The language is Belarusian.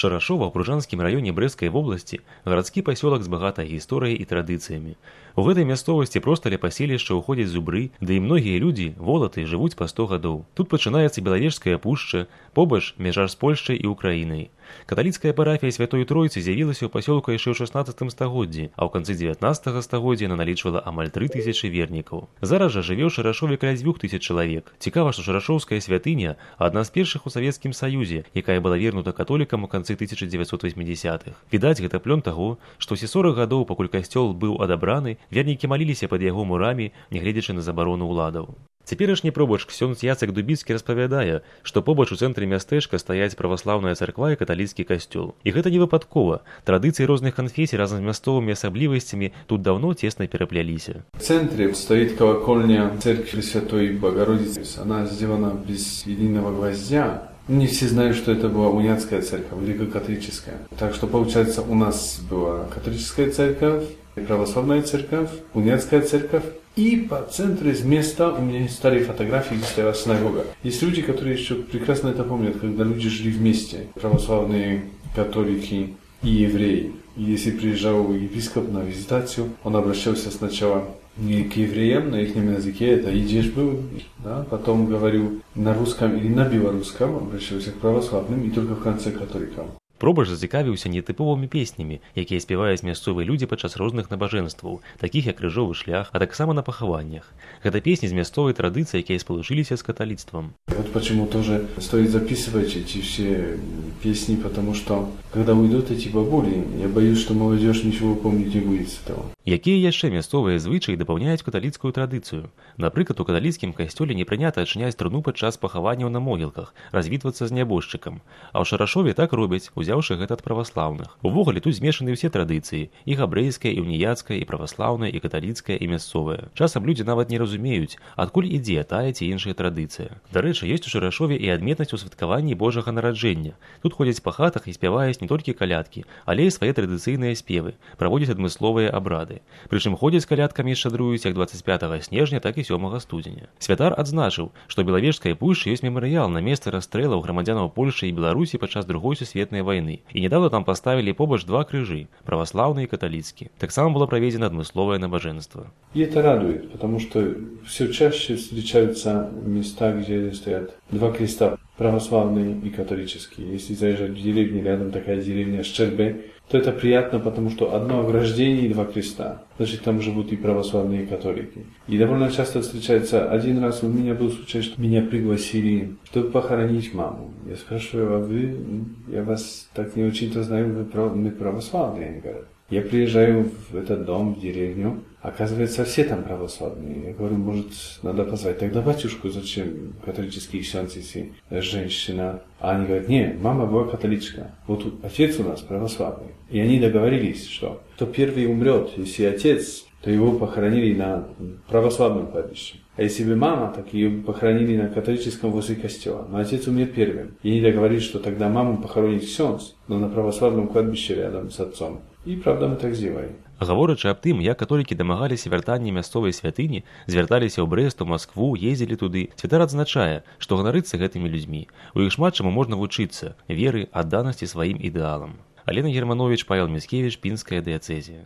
Шарашова ў Пружанскім раёне Брэсцкай вобласці гарадскі пасёлак з багатай гісторыяй і традыцыямі. У гэтай мясцовасці проста ля паселішча ўходзяць зубры, ды і многія людзі, волаты, жывуць па 100 гадоў. Тут пачынаецца Белавежская пушча, побач мяжа з Польшчай і Украінай. Каталіцкая парафія Святой Тройцы з'явілася ў пасёлку яшчэ ў 16 стагоддзі, а ў канцы 19 стагоддзя яна налічвала амаль 3000 вернікаў. Зараз жа жыве ў Шарашове каля 2000 чалавек. Цікава, што Шарашоўская святыня адна з першых у Савецкім Саюзе, якая была вернута католікам у канцы 1980-х. Відаць, гэта плён таго, што ўсе 40 гадоў, пакуль касцёл быў адабраны, вернікі маліліся пад яго мурамі, нягледзячы на забарону ўладаў. Цяперашні пробач ксёндз Яцек Дубіцкі распавядае, што побач у цэнтры мястэчка стаяць праваслаўная царква і каталіцкі касцёл. І гэта не выпадкова. Традыцыі розных канфесій разам з мясцовымі асаблівасцямі тут даўно цесна перапляліся. В центре стоит колокольня церкви Святой Богородицы. Она сделана без единого гвоздя. Не все знают, что это была униатская церковь, греко-католическая. Так что, получается, у нас была католическая церковь, православная церковь, униатская церковь. И по центру из места у меня есть старые фотографии, где стояла синагога. Есть люди, которые еще прекрасно это помнят, когда люди жили вместе. Православные, католики и евреи. И если приезжал епископ на визитацию, он обращался сначала не к евреям на их языке, это идиш был, да? Потом говорил на русском или на белорусском, обращался к православным и только в конце к католикам. Пробач зацікавіўся нетыповымі песнямі, якія спяваюць мясцовыя людзі падчас розных набажэнстваў, такіх як крыжовы шлях, а таксама на пахаваннях. Гэта песні з мясцовай традыцыі, якія спалучыліся з каталіцтвом. Вот почему тоже стоит записывать эти все песни, потому что когда уйдут эти бабули, я боюсь, что молодежь ничего помнить не будет с этого. Якія яшчэ мясцовыя звычаі дапаўняюць каталіцкую традыцыю? Напрыклад, у каталіцкім касцёле не прынята адчыняць труну падчас пахаванняў на могілках, развітвацца з нябожчыкам. А ў Шарашове так робяць, узяўшы гэта ад праваслаўных. Увогуле тут змешаны ўсе традыцыі, і габрэйская, і уніяцкая, і праваслаўная, і каталіцкая, і мясцовая. Часам людзі нават не разумеюць, адкуль ідзе тая ці іншая традыцыя. Дарэчы, ёсць у Шарашове і адметнасць у святкаванні Божага нараджэння. Тут ходзяць па хатах і спяваюць не толькі калядкі, але і свае традыцыйныя спевы, праводзяць адмысловыя абрады. Прычым ходзяць калядкамі і шчадруюць як 25 снежня, так і 7 студзеня. Святар адзначыў, што ў Белавежскай пушчы ёсць мемарыял на месцы расстрэлаў грамадзянаў Польшчы і Беларусі падчас Другой сусветнай вайны. І недавно там поставили побач два крыжы, православный и католицкий. Таксама было проведено адмысловое набоженство. И это радует, потому что все чаще встречаются места, где стоят два креста, православный и католический. Если заезжать в деревню, рядом такая деревня Щербе, то это приятно, потому что одно ограждение и два креста. Значит, там живут и православные, и католики. И довольно часто встречается, один раз у меня был случай, что меня пригласили, чтобы похоронить маму. Я спрашиваю, а вы, я вас так не очень-то знаю, мы православные, они говорят. Я приезжаю в этот дом, в деревню, оказывается, все там православные. Я говорю, может, надо позвать тогда батюшку, зачем католический ксёндз, если женщина? А они говорят, не, мама была католичка, вот отец у нас православный. И они договорились, что кто первый умрет, если отец, то его похоронили на православном кладбище. А если бы мама, так ее похоронили на католическом возле костела. Но отец умер первым. И они договорились, что тогда маму похоронит ксёндз, но на православном кладбище рядом с отцом. І, правда, мы так зробили. Гаворачы аб тым, як католікі дамагаліся вяртання мясцовай святыні, звярталіся ў Брэст, у Маскву, ездзілі туды, святар адзначае, што ганарыцца гэтымі людзьмі. У іх шмат чаму можна вучыцца, веры, адданасці сваім ідэалам. Алена Германович, Павел Міцкевіч, Пінская дыяцэзія.